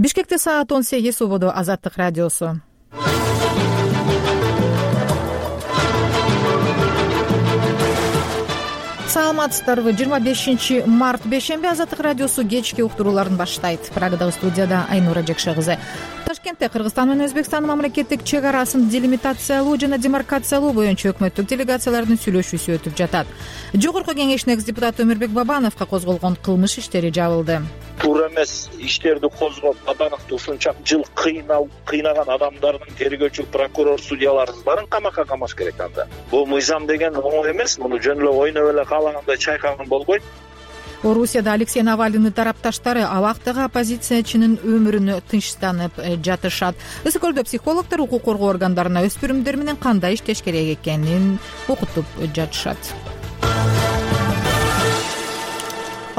Бишкекте саат 18 убуду. Азаттык радиосу. Саламатсыздарбы? 25 март бейшемби Азаттык радиосу кечки уктурууларын баштайт. Прагадагы студияда Айнура Жекше кызы. Ташкентте Кыргызстан менен Өзбекстандын мамлекеттик чек арасын делимитациялоо жана демаркациялоо боюнча өкмөттүк делегациялардын сүйлөшүүсү өтүп жатат. Жогорку кеңештин экс-депутаты Өмүрбек Бабановго козголгон кылмыш иштери жабылды. Туура эмес иштерди козгоп, Бабановду ушунча жыл кыйнаган адамдардын тергөөчү прокурор судьяларыбыз баарын камакка камаш керек анда. Бул мыйзам деген оңой эмес, муну жөн эле ойноп эле каалагандай чайкаган болбойт. Орусияда Алексей Навалийдин тарапташтары абактагы оппозициячынын өмүрүнө тынчтанып жатышат. Ысык көлдө психологдор укук коргоо органдарына өспүрүмдөр менен кандай иштеш керек экенин окутуп жатышат.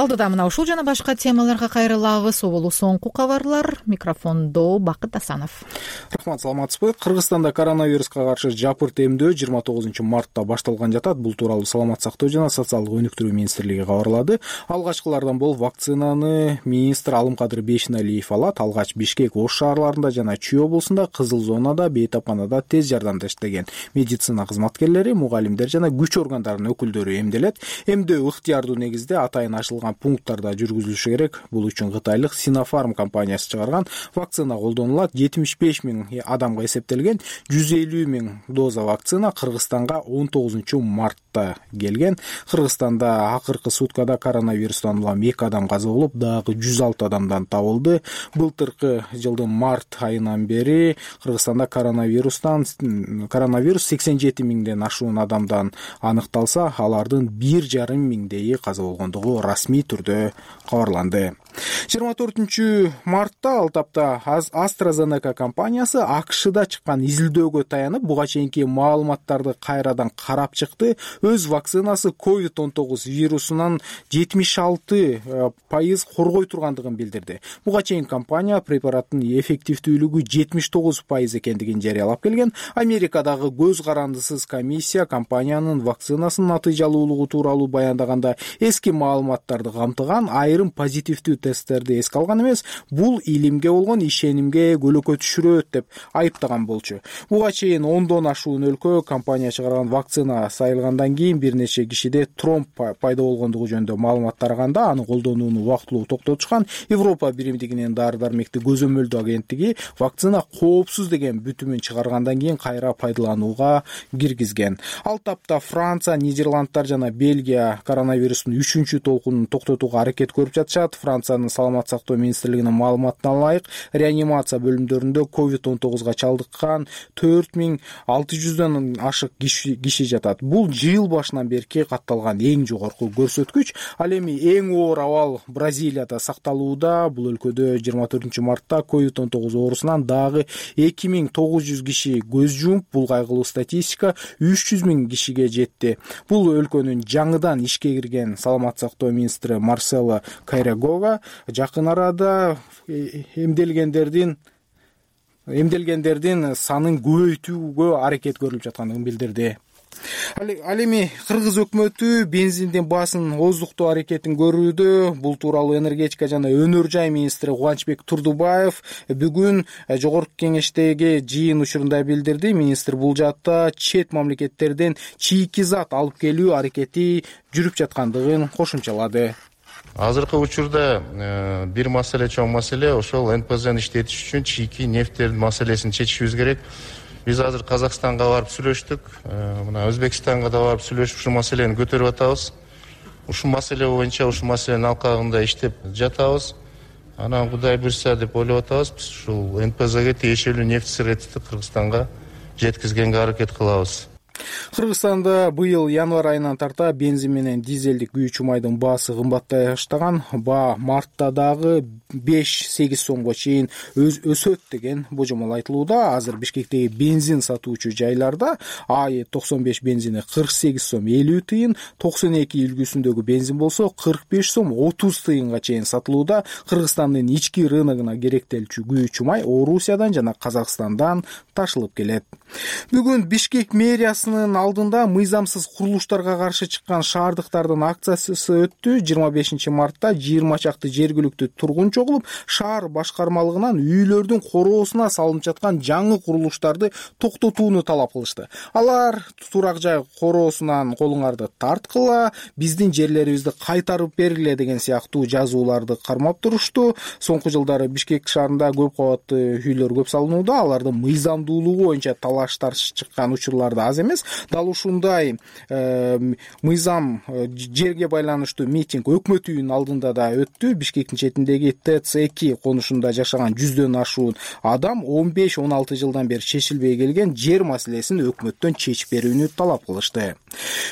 Алдыда мына ушул жана башка темаларга кайрылабыз. Обулу соңку кабарлар. Микрофондо Бакыт Асанов. Рахмат, саламатсызбы? Кыргызстанда коронавируска каршы жапырт эмдөө 29 мартта башталган жатат. Бул тууралуу Саламат сактоо жана социалдык өнүктүрүү министрлиги кабарлады. Алгачкылардан болуп вакцинаны министр Алымкадыр Бейшеналиев алат. Алгач Бишкек, Ош шаарларында жана Чүй облусунда, кызыл зонада, бейтапканада тез жардамда иштеген медицина кызматкерлери, мугалимдер жана күч органдарынын өкүлдөрү эмделет. Эмдөө ыктыярдуу негизде атайын ачылган пункттарда жүргүзүлүшү керек. Бул үчүн Кытайлык Sinopharm компаниясы чыгарган вакцина колдонулат. 75 000 адамга эсептелген 150 000 доза вакцина Кыргызстанга 19 мартта келген. Кыргызстанда акыркы суткада коронавирустан улам 2 адам каза болуп, дагы 106 адамдан табылды. Былтыркы жылдын март айынан бери Кыргызстанда коронавирус 87 000ден ашуун адамдан аныкталса, алардын 1,5 миңдейи каза болгондугу расмий түрдө кабарланды. 24 мартта ал тапта AstraZeneca компаниясы АКШда чыккан изилдөөгө таянып, буга чейинки маалыматтарды кайрадан карап чыкты. Өз вакцинасы COVID-19 вирусунан 76% коргой тургандыгын билдирди. Буга чейин компания препараттын эффективдүүлүгү 79% экендигин жарыялап келген. Америкадагы көз карандысыз комиссия компаниянын вакцинасынын натыйжалуулугу тууралуу баяндаганда эски маалыматтарды камтыган айрым позитивдүү тесттерди эске алган эмес, бул илимге болгон ишенимге көлөкө түшүрөт деп айыптаган болчу. Буга чейин 10дон ашуун өлкө компания чыгарган вакцина сайылгандан кийин бир нече кишиде тромб пайда болгондугу жөнүндө маалымат тараганда, аны колдонууну убактылуу токтотушкан. Европа биримдигинин дары-дармекти көзөмөлдөө агенттиги вакцина коопсуз деген бүтүмүн чыгаргандан кийин кайра пайдаланууга киргизген. Ал тапта Франция, Нидерландтар жана Бельгия коронавирустун 3-чү толкунун токтотууга аракет көрүп жатышат. Франциянын саламат сактоо министрлигинин маалыматына ылайык, реанимация бөлүмдөрүндө COVID-19 чалдыккан 4600дөн ашык киши жатат. Бул жыл башынан берки катталган эң жогорку көрсөткүч. Ал эми эң оор абал Бразилияда сакталууда. Бул өлкөдө 24 мартта COVID-19 оорусунан дагы 2900 киши көз жумуп, бул кайгылуу статистика 300 000 кишиге жетти. Бул өлкөнүн жаңыдан ишке кирген саламат сактоо министри Марсело Кайрагога жакын арада эмделгендердин санын көбөйтүүгө аракет көрүлүп жаткандыгын билдирди. Ал эми кыргыз өкмөтү бензиндин баасын оздуктоо аракетин көрүүдө. Бул тууралуу энергетика жана өнөр жай министри Кубанычбек Турдубаев бүгүн жогорку кеңештеги жыйын учурунда билдирди. Министр бул жаатта чет мамлекеттерден чийки зат алып келүү аракети жүрүп жаткандыгын кошумчалады. Азыркы учурда бир маселе, чоң маселе ошол НПЗни иштетиш үчүн чийки нефттердин маселесин чечишибиз керек. Биз азыр Казакстанга барып сүйлөштүк, мына Өзбекстанга да барып сүйлөшүп ушул маселени көтөрүп атабыз. Ушул маселе боюнча ушул маселенин алкагында иштеп жатабыз. Анан Кудай буйрса деп ойлоп атабыз. Биз ушул НПЗге тиешелүү нефть сырытты Кыргызстанга жеткизгенге аракет кылабыз. Кыргызстанда быйыл январь айынан тарта бензин менен дизелдик күйүүчү майдын баасы кымбаттай баштаган. Баа мартта дагы 5-8 сомго чейин өсөт деген божомол айтылууда. Азыр Бишкектеги бензин сатуучу жайларда АЭ 95 бензини 48 сом 50 тыйын, 92 үлгүсүндөгү бензин болсо 45 сом 30 тыйынга чейин сатылууда. Кыргызстандын ички рыногуна керектелчү күйүүчү май Орусиядан жана Казакстандан ташылып келет. Бүгүн Бишкек мэриясынын алдында мыйзамсыз курулуштарга каршы чыккан шаардыктардын акциясы өттү. 25 мартта 20 чакты жергиликтүү тургунчу чогулуп, шаар башкармалыгынан үйлөрдүн короосуна салынып жаткан жаңы курулуштарды токтотууну талап кылышты. Алар турак жай короосунан колуңарды тарткыла, биздин жерлерибизди кайтарып бергиле деген сыяктуу жазууларды кармап турушту. Соңку жылдары Бишкек шаарында көп кабаттуу үйлөр көп салынууда. Алардын мыйзамдуулугу боюнча талаштар чыккан учурлар да аз эмес. Дал ушундай мыйзам жерге байланыштуу митинг өкмөт үйүнүн алдында да өттү. Бишкектин четиндеги ТЦ2 конушунда жашаган 100дөн ашуун адам 15-16 жылдан бери чечилбей келген жер маселесин өкмөттөн чечип берүүнү талап кылышты.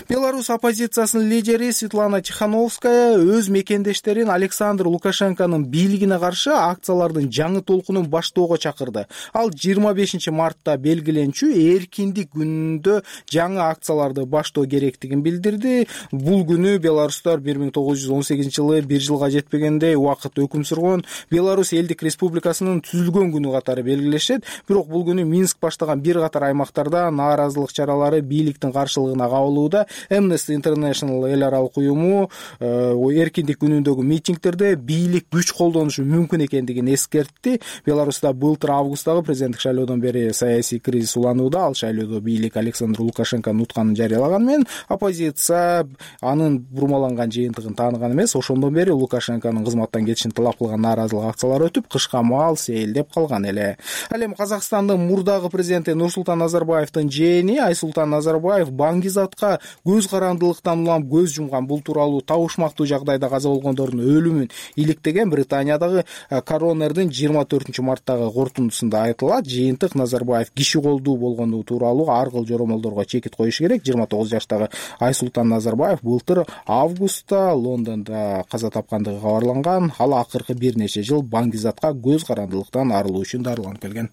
Беларусь оппозициясынын лидери Светлана Тихановская өз мекендештерин Александр Лукашенконун бийлигине каршы акциялардын жаңы толкунун баштоого чакырды. Ал 25 мартта белгиленчү эркиндик күнүндө жаңы акцияларды баштоо керектигин билдирди. Бул күнү беларустар 1918 жылы 1 жылга жетпегендей убакыт өкүм сүргөн Беларусь элдик республикасынын түзүлгөн күнү катары белгилешет. Бирок бул күнү Минск баштаган бир катар аймактарда нааразылык чаралары бийликтин каршылыгына кабылууда. Amnesty International эл аралык уюму эркиндик күнүндөгү митингтерде бийлик күч колдонушу мүмкүн экендигин эскертти. Беларуста былтыр августтагы президенттик шайлоодон бери саясий кризис уланууда. Ал шайлоодо бийлик Александр Лукашенконун утканын жарыялаган менен оппозиция анын бурмаланган жыйынтыгын тааныган эмес. Ошондон бери Лукашенконун кызматтан кетишин талап кылган нааразылык акциялары өтүп, кышка маал сейилдеп калган эле. Ал эми Казакстандын мурдагы президенти Нурсултан Назарбаевдин жээни Айсултан Назарбаев Баңгизатка көз карандылыктан улам көз жумган. Бул тууралуу табышмактуу жагдайда каза болгондордун өлүмүн иликтеген Британиядагы коронердин 24 марттагы корутундусунда айтылат. Жыйынтык Назарбаев киши колдуу болгону тууралуу ар кыл жоромолдорго чекит коюш керек. 29 жаштагы Айсултан Назарбаев былтыр августта Лондондо каза тапкандыгы кабарланган. Ал акыркы бир нече жыл Баңгизатка көз карандылыктан арылуу үчүн дарыланып келген.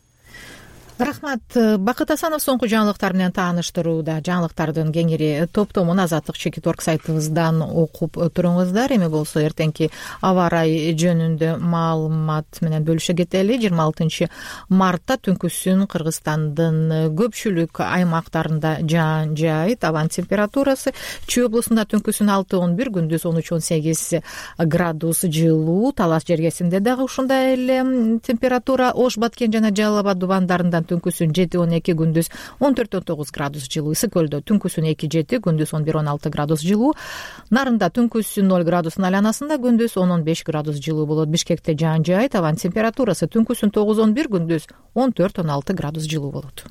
Рахмат. Бакыт Асанов соңку жаңылыктар менен тааныштырууда. Жаңылыктардын кеңири топтомун Азаттык.org сайтыбыздан окуп туруңуздар. Эми болсо эртеңки аба ырайы жөнүндө маалымат менен бөлүшө кетели. 26 мартта түнкүсүн Кыргызстандын көпчүлүк аймактарында жаан жаайт. Абанын температурасы Чүй облусунда түнкүсүн 6-11, күндүз 13-18 градус жылуу. Талас жергесинде дагы ушундай эле температура. Ош, Баткен жана Жалал Абад дубандарында түнкүсүн 7-12, күндүз 14-19 градус жылуу. Ысык көлдө түнкүсүн 2-7, күндүз 11-16 градус жылуу. Нарында түнкүсүн 0 градустун айланасында, күндүз 10-15 градус жылуу болот. Бишкекте жаан жаайт. Абанын температурасы түнкүсүн 9-11, күндүз 14-16 градус жылуу болот.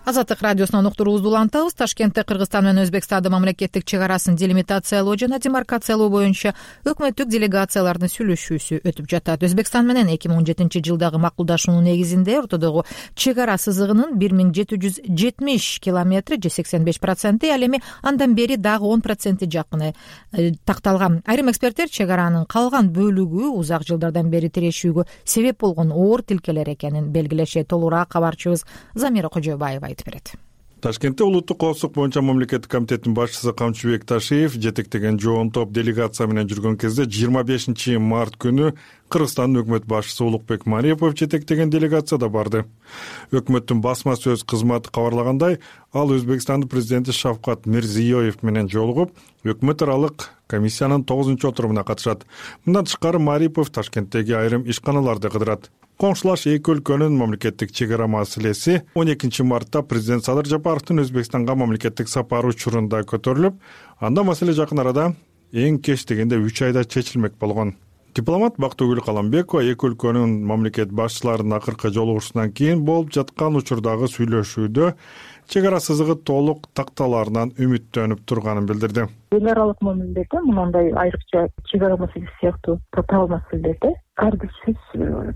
Азаттык радиосунан уктуруубузду улантабыз. Ташкентте Кыргызстан менен Өзбекстандын мамлекеттик чек арасын делимитациялоо жана демаркациялоо боюнча өкмөттүк делегациялардын сүйлөшүүсү өтүп жатат. Өзбекстан менен 2017 жылдагы макулдашуунун негизинде ортодогу чек ара сызыгынын 1770 километри же 85%, ал эми андан бери дагы 10% жакыны такталган. Айрым эксперттер чек аранын калган бөлүгү узак жылдардан бери тирешүүгө себеп болгон оор тилкелер экенин белгилешет. Толураак кабарчыбыз Замира Кожобаева берет. Ташкентте улуттук коопсуздук боюнча мамлекеттик комитеттин башчысы Камчыбек Ташиев жетектеген жоон топ делегация менен жүргөн кезде 25 март күнү Кыргызстандын өкмөт башчысы Улукбек Марипов жетектеген делегацияда барды. Өкмөттүн басма сөз кызматы кабарлагандай, ал Өзбекстандын президенти Шавкат Мирзиёев менен жолугуп, өкмөт аралык комиссиянын 9-отурумуна катышат. Мындан тышкары Марипов Ташкенттеги айрым ишканаларды кыдырат. Коңшулаш эки өлкөнүн мамлекеттик чек ара маселеси 12 мартта президент Садыр Жапаровдун Өзбекстанга мамлекеттик сапары учурунда көтөрүлүп, анда маселе жакын арада эң кеч дегенде 3 айда чечилмек болгон. Дипломат Бактыгүл Каламбекова эки өлкөнүн мамлекет башчыларынын акыркы жолугушуусунан кийин болуп жаткан учурдагы сүйлөшүүдө чек ара сызыгы толук такталаарынан үмүттөнүп турганын билдирди. Эл аралык мамилелерде мындай айрыкча чек ара маселеси сыяктуу татаал маселелерде ар бир сөз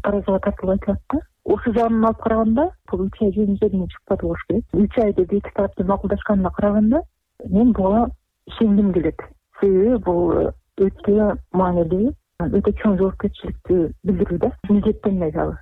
таразыга тартылып айтылат да. Ошол жагынан алып караганда бул 3 ай жөнүндө чыкпады болуш керек. 3 айда эки тараптын макулдашканына караганда мен буга ишенгим келет. Себеби бул өтө маанилүү, өтө чоң жоопкерчиликти билдирүү да. Милдеттенме дагы.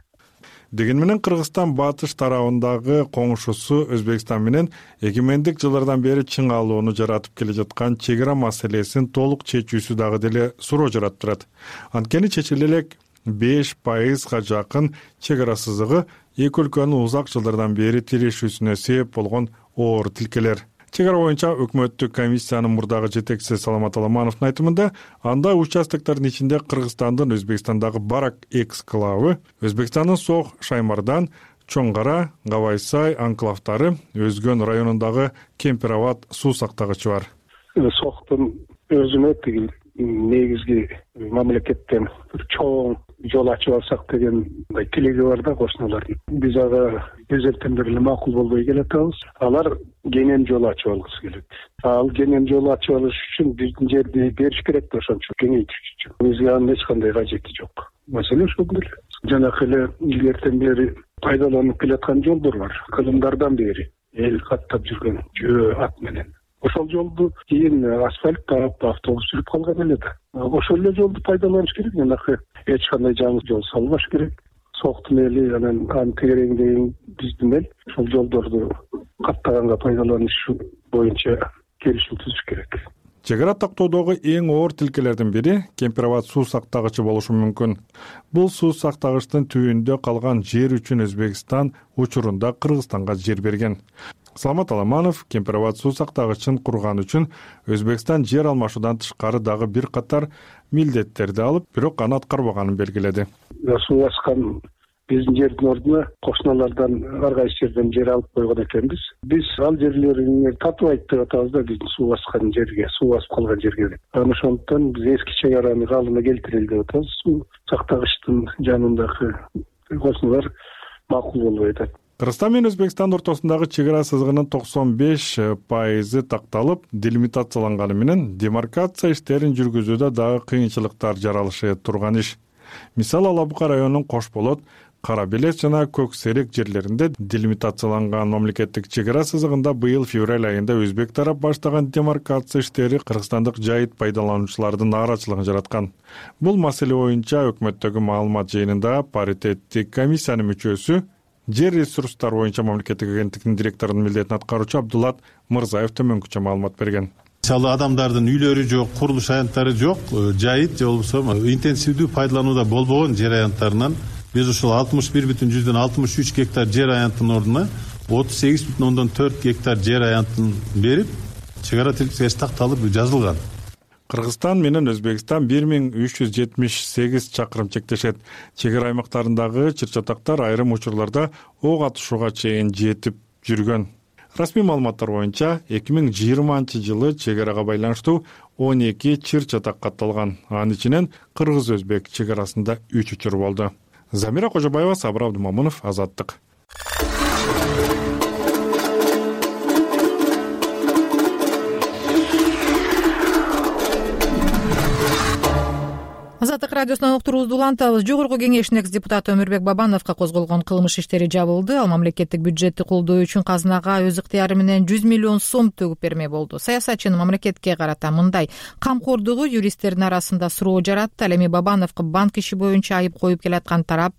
Деген менен Кыргызстан батыш тарабындагы коңшусу Өзбекстан менен эгемендик жылдардан бери чыңалууну жаратып келе жаткан чек ара маселесин толук чечүүсү дагы деле суроо жаратып турат. Анткени чечиле элек 5% жакын чек ара сызыгы эки өлкөнүн узак жылдардан бери тирешүүсүнө себеп болгон оор тилкелер. Чек Чек ара боюнча өкмөттүк комиссиянын мурдагы жетекчиси Саламат Аламановдун айтымында, анда участоктордун ичинде Кыргызстандын Өзбекстандагы Барак эксклавы, Өзбекстандын Сох, Шаймардан, Чоң Кара, Кабайсай анклавдары, Өзгөн районундагы Кемпирабад суу сактагычы бар. Сохтун өзүнө тиги негизги мамлекеттен бир чоң жол ачып алсак деген тилеги бар да кошуналардын. Биз ага өзелтен бери эле макул болбой келатабыз. Алар кенен жол ачып алгысы келет. Ал кенен жол ачып алыш үчүн биздин жерди бериш керек да, ошончо кеңейтиш үчүн. Бизге анын эч кандай кажети жок. Маселе ошол эле. Жанакы эле илгертен бери пайдаланып келаткан жолдор бар. Кылымдардан бери эл каттап жүргөн жөө ат менен. Ошол жолду кийин асфальт таап автобус жүрүп калган эле да. Ошол эле жолду пайдаланыш керек. Жанакы эч кандай жаңы жол салбаш керек. Соктун эли анан тегереңдеген биздин эл ошол жолдорду каттаганга пайдаланыш боюнча келишим түзүш керек. Чек ара токтоодогу эң оор тилкелердин бири Кемпирабад суу сактагычы болушу мүмкүн. Бул суу сактагычтын түбүндө калган жер үчүн Өзбекстан учурунда Кыргызстанга жер берген. Саламат Аламанов Кемпирабад суу сактагычын курган үчүн Өзбекстан жер алмашуудан тышкары дагы бир катар милдеттерди алып, бирок аны аткарбаганын белгиледи. Суу баскан биздин жердин ордуна кошуналардан ар кайсы жерден жер алып койгон экенбиз. Биз ал жерлерин татыбайт деп атабыз да, биздин суу баскан жерге, суу басып калган жерге. Ошондуктан биз эски чек араны калыбына келтирели деп атабыз. Суу сактагычтын жанындагы кошуналар макул болбой атат. Кыргызстан менен Өзбекстан ортосундагы чек ара сызыгынын 95% такталып, делимитацияланганы менен демаркация иштерин жүргүзүүдө дагы кыйынчылыктар жаралышы турган иш. Мисалы Алабука районунун Кош Болот, Кара Белес жана Көк Серек жерлеринде делимитацияланган мамлекеттик чек ара сызыгында быйыл февраль айында өзбек тарап баштаган демаркация иштери кыргызстандык жайыт пайдалануучулардын нааразычылыгын жараткан. Бул маселе боюнча өкмөттөгү маалымат жыйынында паритеттик комиссиянын мүчөсү, жер ресурстары боюнча мамлекеттик агенттиктин директорунун милдетин аткаруучу Абдулат Мырзаев төмөнкүчө маалымат берген. Мисалы адамдардын үйлөрү жок, курулуш аянттары жок, жайыт же болбосо интенсивдүү пайдаланууда болбогон жер аянттарынан биз ушул 61,63 гектар жер аянтынын ордуна 38,4 гектар жер аянтын берип, чек ара тилкеси такталып жазылган. Кыргызстан менен Өзбекстан 1378 чакырым чектешет. Чек ара аймактарындагы чыр-чатактар айрым учурларда ок атышууга чейин жетип жүргөн. Расмий маалыматтар боюнча 2020-жылы чек арага байланыштуу 12 чыр-чатак катталган. Анын ичинен кыргыз-өзбек чек арасында 3 учур болду. Замира Кожобаева, Сабыр Абдумамунов, Азаттык. Азаттык радиосунан уктуруубузду улантабыз. Жогорку кеңештин экс-депутаты Өмүрбек Бабановго козголгон кылмыш иштери жабылды. Ал мамлекеттик бюджетти колдоо үчүн казынага өз ыктыяры менен 100 миллион сом төгүп берме болду. Саясатчынын мамлекетке карата мындай камкордугу юристтердин арасында суроо жаратты. Ал эми Бабановго банк иши боюнча айып коюп келаткан тарап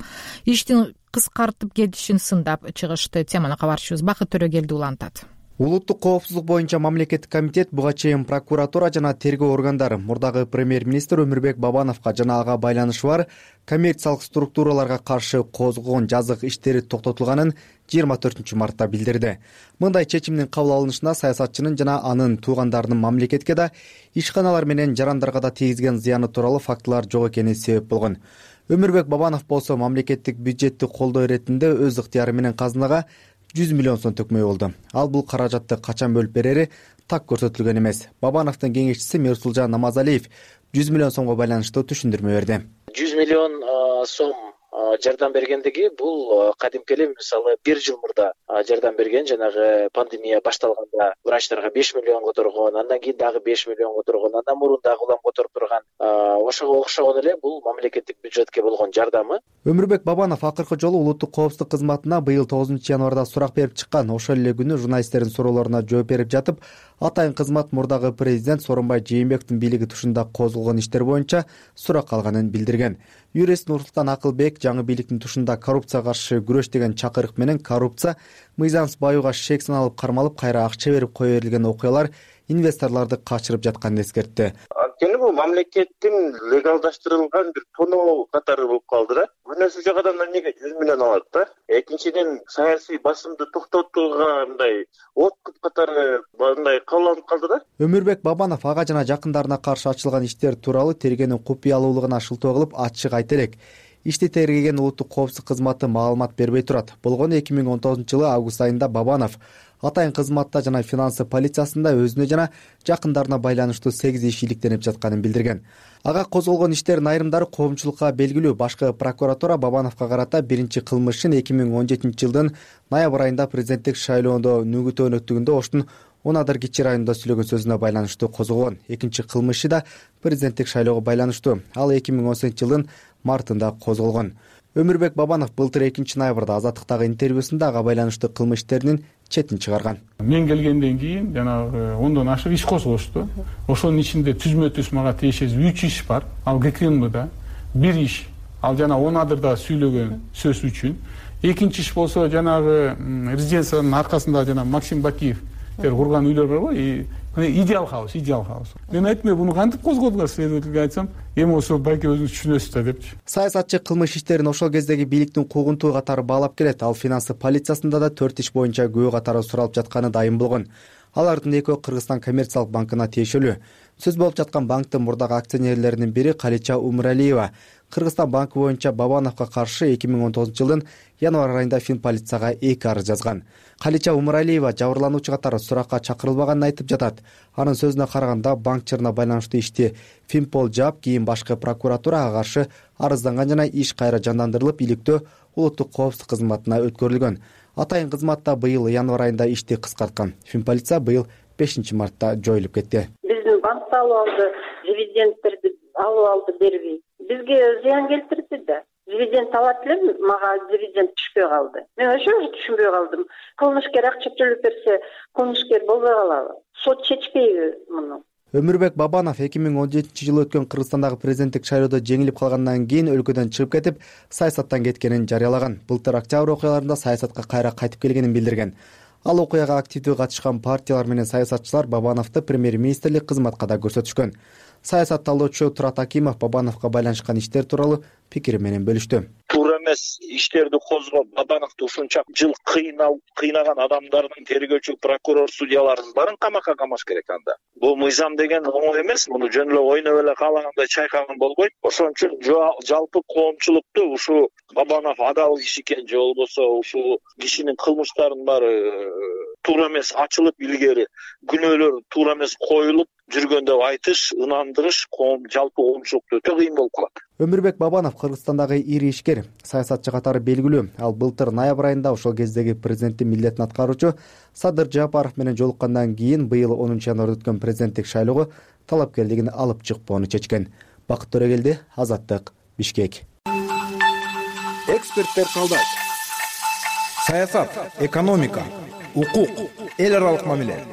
иштин кыскартып кетишин сындап чыгышты. Теманы кабарчыбыз Бакыт Төрөгелди улантат. Улуттук коопсуздук боюнча мамлекеттик комитет буга чейин прокуратура жана тергөө органдары мурдагы премьер-министр Өмүрбек Бабановго жана ага байланышы бар коммерциялык структураларга каршы козголгон жазык иштери токтотулганын 24 мартта билдирди. Мындай чечимдин кабыл алынышына саясатчынын жана анын туугандарынын мамлекетке да, ишканалар менен жарандарга да тийгизген зыяны тууралуу фактылар жок экени себеп болгон. Өмүрбек Бабанов болсо мамлекеттик бюджетти колдоо иретинде өз ыктыяры менен казынага 100 миллион сом төкмөй болду. Ал бул каражатты качан бөлүп берери так көрсөтүлгөн эмес. Бабановдун кеңешчиси Мерсулжан Намазалиев 100 миллион сомго байланыштуу түшүндүрмө берди. 100 миллион сом жардам бергендиги бул кадимки эле мисалы 1 жыл мурда жардам берген, жанагы пандемия башталганда врачтарга 5 миллион которгон, андан кийин дагы 5 миллион которгон, андан мурун дагы улам которуп турган. Ошого окшогон эле бул мамлекеттик бюджетке болгон жардамы. Өмүрбек Бабанов акыркы жолу улуттук коопсуздук кызматына быйыл 9-январда сурак берип чыккан. Ошол эле күнү журналисттердин суроолоруна жооп берип жатып, атайын кызмат мурдагы президент Сооронбай Жээнбековдун бийлиги тушунда козголгон иштер боюнча сурак алганын билдирген. Юрист Нурсултан Акылбек жаңы бийликтин тушунда коррупцияга каршы күрөш деген чакырык менен коррупция, мыйзамсыз баюуга шек саналып кармалып, кайра акча берип кое берилген окуялар инвесторлорду качырып жатканын эскертти. Анткени бул мамлекеттин легалдаштырылган бир тоноо катары болуп калды да. Күнөөсү жок адамдар эмнеге 100 миллион алат да? Экинчиден саясий басымды токтотууга мындай откуп катары мындай кабыл калды да. Өмүрбек Бабанов ага жана жакындарына каршы ачылган иштер тууралуу тергөөнүн купуялуулугуна шылтоо кылып ачык айта элек. Ишти тергеген улуттук коопсуздук кызматы маалымат бербей турат. Болгону 2019-жылы август айында Бабанов атайын кызматта жана финансы полициясында өзүнө жана жакындарына байланыштуу 8 иш иликтенип жатканын билдирген. Ага козголгон иштердин айрымдары коомчулукка белгилүү. Башкы прокуратура Бабановго карата биринчи кылмышын 2017-жылдын ноябрь айында президенттик шайлоодо нүгүтө өнөктүгүндө Оштун Унадыр Кичи районунда сүйлөгөн сөзүнө байланыштуу козголгон. Экинчи кылмышы да президенттик шайлоого байланыштуу. Ал 2018-жылдын мартында козголгон. Өмүрбек Бабанов былтыр 2-ноябрда Азаттыктагы интервьюсунда ага байланыштуу кылмыш иштеринин четин чыгарган. Мен келгенден кийин жанагы 10дон ашык иш козулушту. Ошонун ичинде түзмө-түз мага тиешеси 3 иш бар. Ал ГКМда 1 иш. Ал жана Унадырда сүйлөгөн сөз үчүн. Экинчи иш болсо жанагы резиденциянын аркасында жана Максим Бакиев курган үйлөр барбы? Идеал хаус. Мен айтмай буну кантип козгодуңар следовательге айтсам, эми ошо балки өзүңүз түшүнөсүз да депчи. Саясатчы кылмыш иштерин ошол кездеги бийликтин куугунтуу катары баалап келет. Ал финансы полициясында да 4 иш боюнча күбө катары суралып жатканы дайым болгон. Алардын экөө Кыргызстан коммерциялык банкына тиешелүү. Сөз болуп жаткан банктын мурдагы акционерлеринин бири Калича Умуралиева. Кыргызстан банкы боюнча Бабановго каршы 2019-жылдын январь айында Финполицияга 2 арыз жазган. Калича Умуралиева жабырлануучу катары суракка чакырылбаганын айтып жатат. Анын сөзүнө караганда банкчыларына байланыштуу ишти Финпол жаап, кийин башкы прокуратура ага каршы арызданган жана иш кайра жандандырылып, иликтөө улуттук коопсуздук кызматына өткөрүлгөн. Атайын кызматта быйыл январь айында ишти кыскарткан. Финполиция быйыл 5-мартта жоюлуп кетти. Биздин банкты алып алды, дивидендтерди алып алды, бербей. Бизге зыян келтирди да. Дивиденд алат элем, мага дивиденд түшпөй калды. Мен ошо түшүнбөй калдым. Кылмышкер акча төлөп берсе, кылмышкер болбой калабы? Сот чечпейби муну? Өмүрбек Бабанов 2017-жылы өткөн Кыргызстандагы президенттик шайлоодо жеңилип калгандан кийин өлкөдөн чыгып кетип, саясаттан кеткенин жарыялаган. Былтыр октябрь окуяларында саясатка кайра кайтып келгенин билдирген. Ал окуяга активдүү катышкан партиялар менен саясатчылар Бабановду премьер-министрлик кызматка да көрсөтүшкөн. Саясат талоочу Турат Акимов Бабановго байланышкан иштер тууралуу пикири менен бөлүштү. Туура эмес иштерди козгоп, Бабановду ушунча жыл кыйнаган адамдардын тергөөчү, прокурор, судьялардын баарын камакка камаш керек анда. Бул мыйзам деген оңой эмес, муну жөн эле ойноп эле каалагандай чайкаган болбойт. Ошон үчүн жалпы коомчулукту ушу Бабанов адал киши экен же болбосо ушул кишинин кылмыштарынын баары туура эмес ачылып, илгери күнөөлөр туура эмес коюлуп жүргөн деп айтыш, ынандырыш жалпы коомчулукта өтө кыйын болуп калат. Өмүрбек Бабанов Кыргызстандагы ири ишкер, саясатчы катары белгилүү. Ал былтыр ноябрь айында ошол кездеги президенттин милдетин аткаруучу Садыр Жапаров менен жолуккандан кийин быйыл 10-январда өткөн президенттик шайлоого талапкерлигин алып чыкпоону чечкен. Бакыт Төрөгелди, Азаттык, Бишкек. Эксперттер калдайт. Саясат, экономика, укук, эл аралык мамиле,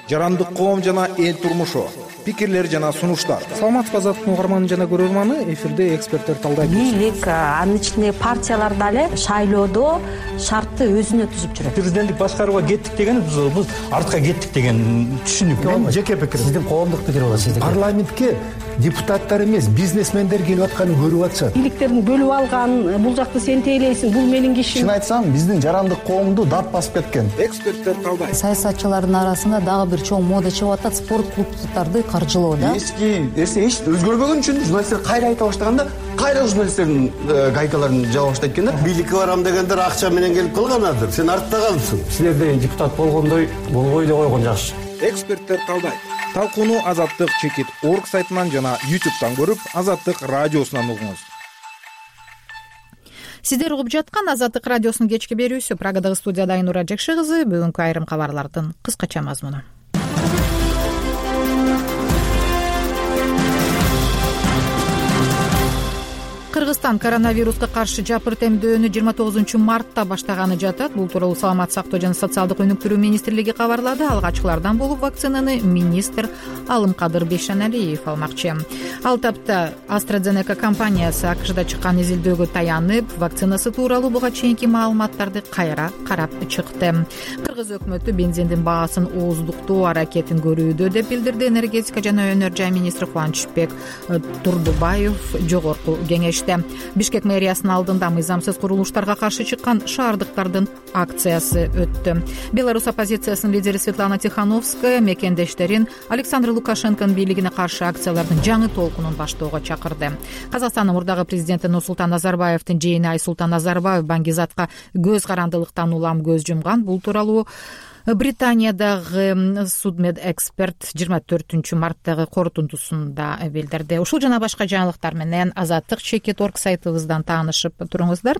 жарандык коом жана эл турмушу, пикирлер жана сунуштар. Саламатсызбы Азаттыктын угарманы жана көрөрманы, эфирде эксперттер талдайт. Бийлик, анын ичинде партиялар дагы шайлоодо шартты өзүнө түзүп жүрөт. Президенттик башкарууга кеттик деген биз артка кеттик деген түшүнүк. Мен жеке пикирим. Сиздин коомдук пикир болот. Сиздин парламентке депутаттар эмес, бизнесмендер келип атканын көрүп атышат. Бийликтерин бөлүп алган, бул жакты сен тейлейсиң, бул менин кишим. Чын айтсам, биздин жарандык коомду дат басып кеткен. Эксперттер талдайт. Саясатчылардын арасында дагы бир чоң мода чыгып атат, спорт клубдарды каржылоо да. Эч өзгөрбөгөн үчүн журналисттер кайра айта баштаганда, кайра журналисттердин гайкаларын жаба баштайт экен да. Бийликке барам дегендер акча менен келип калганадыр. Сен артта калыпсың. Силер деген депутат болгондой болбой деп койгон жакшы. Эксперттер талдайт. Талкууну Азаттык /org сайтынан жана YouTube'дан көрүп, Азаттык радиосунан угуңуз. Сиздер угуп жаткан Азаттык радиосунун кечки берүүсү. Прагадагы студияда Айнура Жакшы кызы. Бүгүнкү айрым кабарлардын кыскача мазмуну. Кыргызстан коронавируска каршы жапырт эмдөөнү 29-мартта баштаганы жатат. Бул тууралуу Саламаттык сактоо жана социалдык өнүктүрүү министрлиги кабарлады. Алгачкылардан болуп вакцинаны министр Алымкадыр Бейшеналиев алмакчы. Ал тапта AstraZeneca компаниясы АКШда чыккан изилдөөгө таянып, вакцинасы тууралуу буга чейинки маалыматтарды кайра карап чыкты. Кыргыз өкмөтү бензиндин баасын ооздуктоо аракетин көрүүдө деп билдирди энергетика жана өнөр жай министри Кубанычбек Турдубаев жогорку кеңеште. Бишкек мэриясынын алдында мыйзамсыз курулуштарга каршы чыккан шаардыктардын акциясы өттү. Беларусь оппозициясынын лидери Светлана Тихановская мекендештерин Александр Лукашенконун бийлигине каршы акциялардын жаңы толкунун баштоого чакырды. Казакстандын мурдагы президенти Нурсултан Назарбаевдин жээни Айсултан Назарбаев Баңгизатка көз карандылыктан улам көз жумган. Бул тууралуу Британиядагы судмедэксперт 24-марттагы корутундусунда билдирди. Ушул жана башка жаңылыктар менен Азаттык Чекит.орг сайтыбыздан таанышып туруңуздар.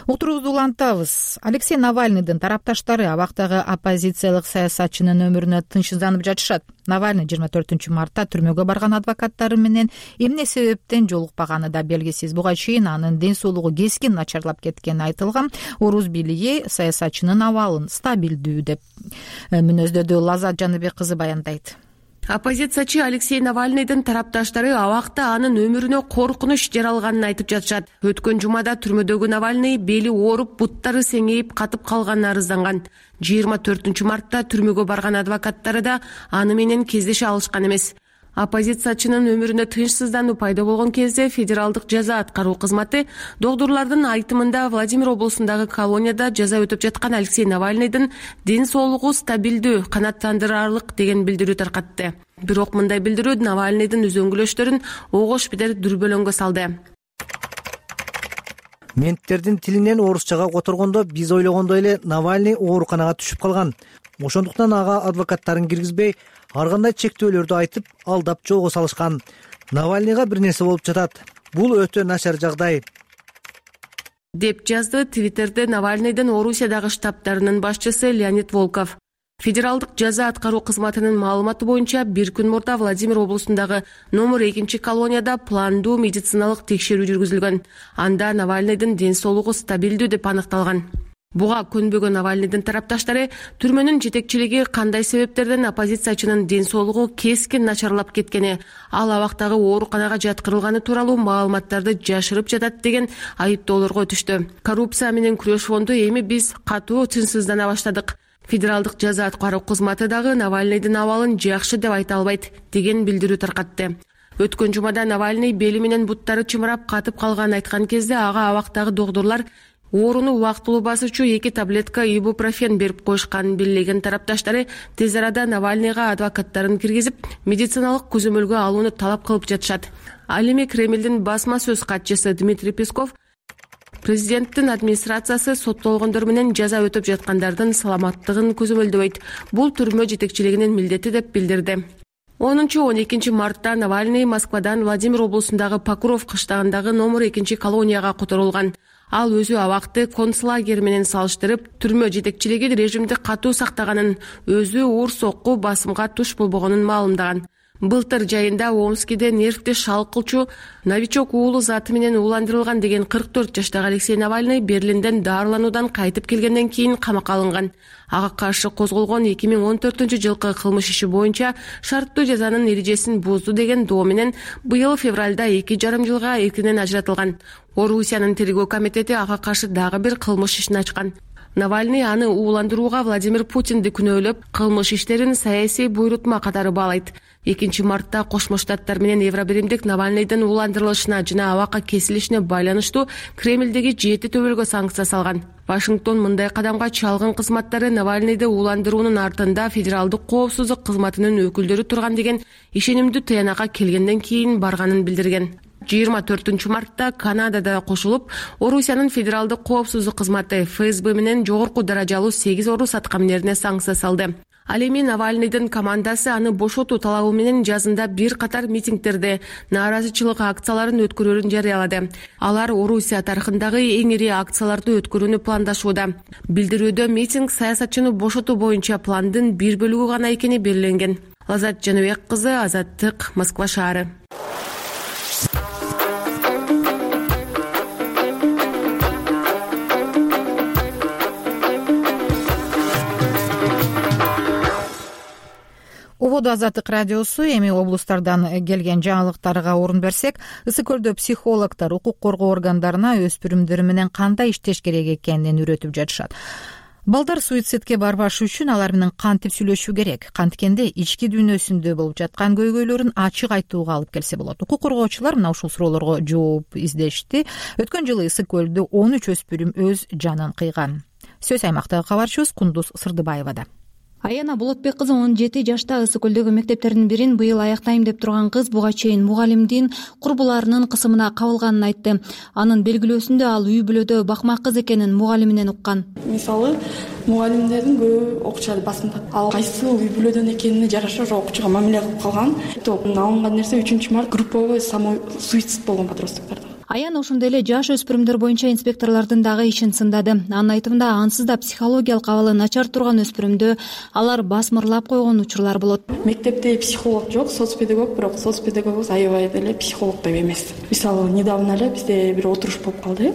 Уктуруубузду улантабыз. Алексей Навальныйдын тарапташтары абактагы оппозициялык саясатчынын өмүрүнө тынчсызданып жатышат. Навальный 24-мартта түрмөгө барган адвокаттары менен эмне себептен жолукпаганы да белгисиз. Буга чейин анын ден соолугу кескин начарлап кеткени айтылган. Орус бийлиги саясатчынын абалын стабилдүү деп мүнөздөдү. Лазат Жаныбек кызы баяндайт. Оппозициячы Алексей Навальныйдын тарапташтары абакта анын өмүрүнө коркунуч жаралганын айтып жатышат. Өткөн жумада түрмөдөгү Навальный бели ооруп, буттары сеңейип катып калганын арызданган. 24-мартта түрмөгө барган адвокаттары да аны менен кездеше алышкан эмес. Оппозициячынын өмүрүнө тынчсыздануу пайда болгон кезде федералдык жаза аткаруу кызматы докторлордун айтымында Владимир облусундагы колонияда жаза өтөп жаткан Алексей Навальныйдын ден соолугу стабилдүү, канааттандырарлык деген билдирүү таркатты. Бирок мындай билдирүү Навальныйдын үзөңгүлөштөрүн огош бедер дүрбөлөңгө салды. Менттердин тилинен орусчага которгондо биз ойлогондой эле Навальный ооруканага түшүп калган. Ошондуктан ага адвокаттарын киргизбей, ар кандай чектөөлөрдү айтып, алдап жолго салышкан. Навальныйга бир нерсе болуп жатат. Бул өтө начар жагдай, деп жазды Твиттерде Навальныйдын Орусиядагы штабтарынын башчысы Леонид Волков. Федералдык жаза аткаруу кызматынын маалыматы боюнча бир күн мурда Владимир облусундагы номер 2 колонияда пландуу медициналык текшерүү жүргүзүлгөн. Анда Навальныйдын ден соолугу стабилдүү деп аныкталган. Буга көнбөгөн Навальныйдын тарапташтары түрмөнүн жетекчилиги кандай себептерден оппозициячынын ден соолугу кескин начарлап кеткени, ал абактагы ооруканага жаткырылганы тууралуу маалыматтарды жашырып жатат деген айыптоолорго өтүштү. Коррупция менен күрөш фонду эми биз катуу тынчсыздана баштадык. Федералдык жаза аткаруу кызматы дагы Навальныйдын абалын жакшы деп айта албайт деген билдирүү таркатты. Өткөн жумада Навальный бели менен буттары чымырап катып калганын айткан кезде ага абактагы докторлор ооруну убактылуу басуучу 2 таблетка ибупрофен берип коюшканын белгилеген тарапташтары тез арада Навальныйга адвокаттарын киргизип, медициналык көзөмөлгө алууну талап кылып жатышат. Ал эми Кремлдин басма сөз катчысы Дмитрий Песков президенттин администрациясы соттолгондор менен жаза өтөп жаткандардын саламаттыгын көзөмөлдөбөйт. Бул түрмө жетекчилигинин милдети деп билдирди. 10-12 мартта Навальный Москвадан Владимир облусундагы Покров кыштагындагы номер 2 колонияга которулган. Ал өзү абакты концлагер менен салыштырып, түрмө жетекчилиги режимди катуу сактаганын, өзү уур сокку басымга туш болбогонун маалымдаган. Былтыр жайында Омскиде нервди шалкылчу новичок уулу заты менен ууландырылган деген 44 жаштагы Алексей Навальный Берлинден дарылануудан кайтып келгенден кийин камакка алынган. Ага каршы козголгон 2014-жылкы кылмыш иши боюнча шарттуу жазанын эрежесин бузду деген доо менен быйыл февралда 2,5 жылга эркинен ажыратылган. Орусиянын тергөө комитети ага каршы дагы бир кылмыш ишин ачкан. Навальный аны ууландырууга Владимир Путинди күнөөлөп, кылмыш иштерин саясий буйрутма катары баалайт. 2 мартта Кошмо Штаттар менен Евробиримдик Навальныйдын ууландырылышына жана абакка кесилишине байланыштуу Кремлдеги 7 төбөлгө санкция салган. Вашингтон мындай кадамга чалгын кызматтары Навальныйды ууландыруунун артында федералдык коопсуздук кызматынын өкүлдөрү турган деген ишенимдүү тыянакка келгенден кийин барганын билдирген. 24 мартта Канадада кошулуп, Орусиянын федералдык коопсуздук кызматы ФСБ менен жогорку даражалуу 8 орус аткаминерине санкция салды. Ал эми Навальныйдын командасы аны бошотуу талабы менен жазында бир катар митингдерде нааразычылык акцияларын өткөрүүрүн жарыялады. Алар Орусия тарыхындагы эң ири акцияларды өткөрүүнү пландашууда. Билдирүүдө митинг саясатчыны бошотуу боюнча пландын бир бөлүгү гана экени белгиленген. Лазат Жаныбек кызы, Азаттык, Москва шаары. ободу Азаттык радиосу. Эми облустардан келген жаңылыктарга орун берсек, Ысык көлдө психологдор укук коргоо органдарына өспүрүмдөр менен кандай иштеш керек экенин үйрөтүп жатышат. Балдар суицидке барбаш үчүн алар менен кантип сүйлөшүү керек, канткенде ички дүйнөсүндө болуп жаткан көйгөйлөрүн ачык айтууга алып келсе болот. Укук коргоочулар мына ушул суроолорго жооп издешти. Өткөн жылы Ысык көлдө 13 өспүрүм өз жанын кыйган. Сөз аймактагы кабарчыбыз Кундуз Сырдыбаевада. Аяна Болотбек кызы 17 жашта Ысык көлдөгү мектептердин бирин быйыл аяктайм деп турган кыз буга чейин мугалимдин курбуларынын кысымына кабылганын айтты. Анын белгилөөсүндө ал үй бүлөдө бакмак кыз экенин мугалиминен уккан. Мисалы, мугалимдердин көбү окуучу басымдап, ал кайсы үй бүлөдөн экенине жараша ошо окуучуга мамиле кылып калган. Алынган нерсе 3-март групповой самосуицид болгон подростоктордо. Аяна ошондой эле жаш өспүрүмдөр боюнча инспекторлордун дагы ишин сындады. Анын айтымында, ансыз да психологиялык абалы начар турган өспүрүмдө алар басмырлап койгон учурлар болот. Мектепте психолог жок, соцпедагог, бирок соцпедагог аябай деле психолог деп эмес. Мисалы, недавно эле бизде бир отуруш болуп калды.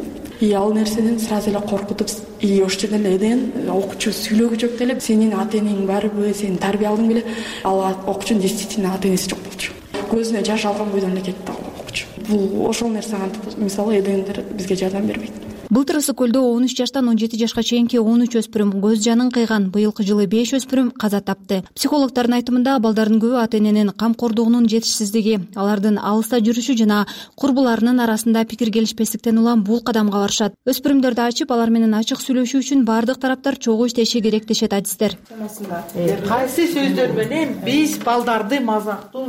Ал нерседен сразу эле коркутуп, ошол жерден эле окуучу сүйлөгү жок деле, сенин ата-энең барбы, сени тарбия алдың беле? Ал окуучунун действительно ата-энеси жок болчу. Көзүнө жаш алган бойдон эле кетти окуучу. Бул ошол нерсе антип, мисалы, эдендер бизге жардам бербейт. Былтыр Ысык көлдө 13 жаштан 17 жашка чейинки 13 өспүрүм көз жанын кыйган. Быйылкы жылы 5 өспүрүм каза тапты. Психологдордун айтымында, балдардын көбү ата-эненин камкордугунун жетишсиздиги, алардын алыста жүрүшү жана курбуларынын арасында пикир келишпестиктен улам бул кадамга барышат. Өспүрүмдөрдү ачып, алар менен ачык сүйлөшүү үчүн бардык тараптар чогуу иштеши керек дешет адистер. Кайсы сөздөр менен биз балдарды мазактоо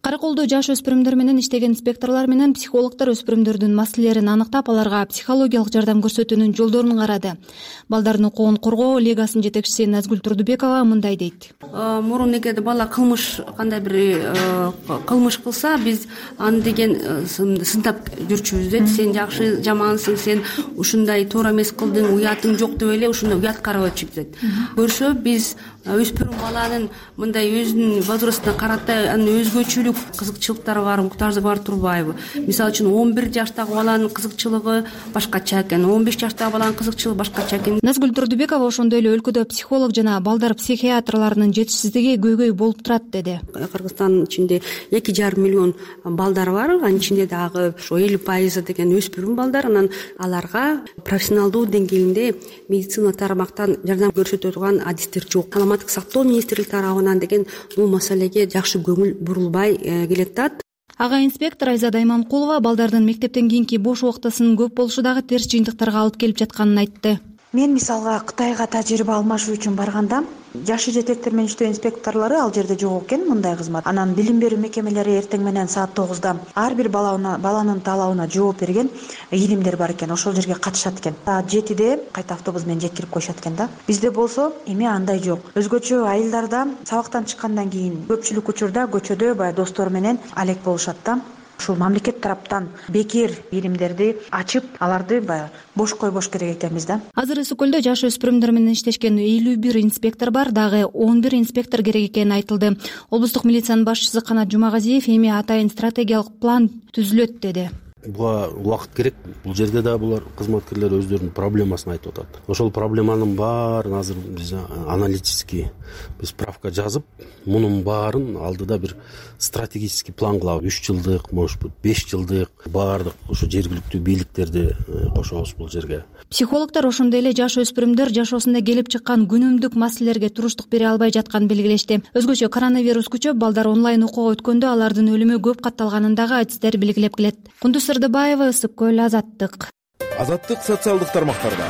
Караколдо жаш өспүрүмдөр менен иштеген инспекторлор менен психологдор өспүрүмдөрдүн маселелерин аныктап, аларга психологиялык жардам көрсөтүүнүн жолдорун карады. Балдардын укугун коргоо лигасынын жетекчиси Назгүл Турдубекова мындай дейт. Мурун эгерде бала кандай бир кылмыш кылса, биз аны деген сындап жүрчүбүз дейт. Сен жакшы, жамансың, сен ушундай туура эмес кылдың, уятың жок деп эле ушундай уят карап өтчүбүз. Көрсө, биз өспүрүм баланын мындай өзүнүн возрастына карата анын өзгөчөлүк кызыкчылыктары бар, муктаждыгы бар турбайбы? Мисалы үчүн 11 жаштагы баланын кызыкчылыгы башкача экен, 15 жаштагы баланын кызыкчылыгы башкача экен. Назгүл Турдубекова ошондой эле өлкөдө психолог жана балдар психиатрларынын жетишсиздиги көйгөй болуп турат деди. Кыргызстандын ичинде 2,5 миллион балдар бар, анын ичинде дагы ошо 50% деген өспүрүм балдар. Анан аларга профессионалдуу деңгээлинде медицина тармактан жардам көрсөтө турган адистер жок. Саламаттык сактоо министрлиги тарабынан деген бул маселеге жакшы көңүл бурулбай келатат. Ага инспектор Айзада Иманкулова балдардын мектептен кийинки бош убактысынын көп болушу дагы терс жыйынтыктарга алып келип жатканын айтты. Мен мисалга Кытайга тажрыйба алмашуу үчүн барганда, жашы жетектер менен иштөө инспекторлору ал жерде жок экен, мындай кызмат. Анан билим берүү мекемелери эртең менен саат 9-да ар бир баланын талабына жооп берген илимдер бар экен. Ошол жерге катышат экен. Саат 7-де кайта автобус менен жеткирип коюшат экен да. Бизде болсо эми андай жок. Өзгөчө айылдарда сабактан чыккандан кийин көпчүлүк учурда көчөдө баягы достору менен алек болушат да. Ушул мамлекет тараптан бекер илимдерди ачып, аларды баягы бош койбош керек экенбиз да. Азыр Ысык көлдө жаш өспүрүмдөр менен иштешкен 51 инспектор бар, дагы 11 инспектор керек экени айтылды. Облустук милициянын башчысы Канат Жумагазиев эми атайын стратегиялык план түзүлөт деди. Буга убакыт керек. Бул жерде да булар кызматкерлер өздөрүнүн проблемасын айтып атат. Ошол проблеманын баарын азыр биз аналитический справка жазып, мунун баарын алдыда бир стратегический план кылабыз. 3 жылдык, может быть, 5 жылдык баардык ошо жергиликтүү бийликтерди кошобуз бул жерге. Психологдор ошондой эле жаш өспүрүмдөр жашоосунда келип чыккан күнүмдүк маселелерге туруштук бере албай жатканын белгилешти. Өзгөчө коронавирус күчөп, балдар онлайн окууга өткөндө алардын өлүмү көп катталганын дагы адистер белгилеп келет. Кундуз Сырдыбаева, Ысык көл, Азаттык. Азаттык социалдык тармактарда.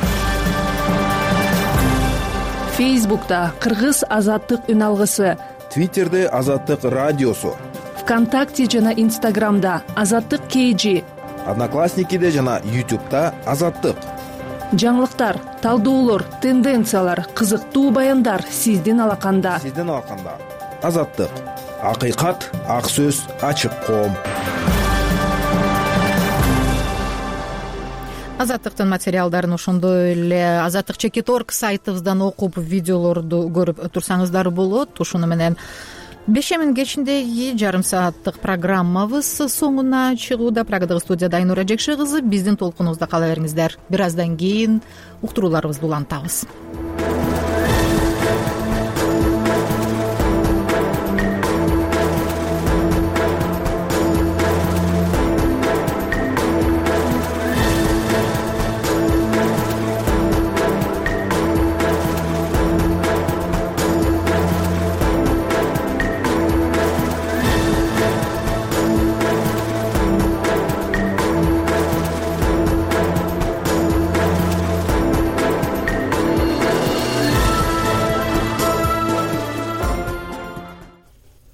Фейсбукта Кыргыз Азаттык үн алгысы. Твиттерде Азаттык радиосу. ВКонтакте жана Инстаграмда Азаттык KG. Одноклассникиде жана YouTube'да Азаттык. Жаңылыктар, талдоолор, тенденциялар, кызыктуу баяндар сиздин алаканда. Азаттык. Акыйкат, ак сөз, ачык коом. Азаттыктын материалдарын ошондой эле Азаттык Чекит.org сайтыбыздан окуп, видеолорду көрүп турсаңыздар болот. Ушуну менен бешемин кечиндеги жарым сааттык программабыз соңуна чыгууда. Прагадагы студияда Айнура Жекше кызы. Биздин толкунубузда кала бериңиздер. Бир аздан кийин уктурууларыбызды улантабыз.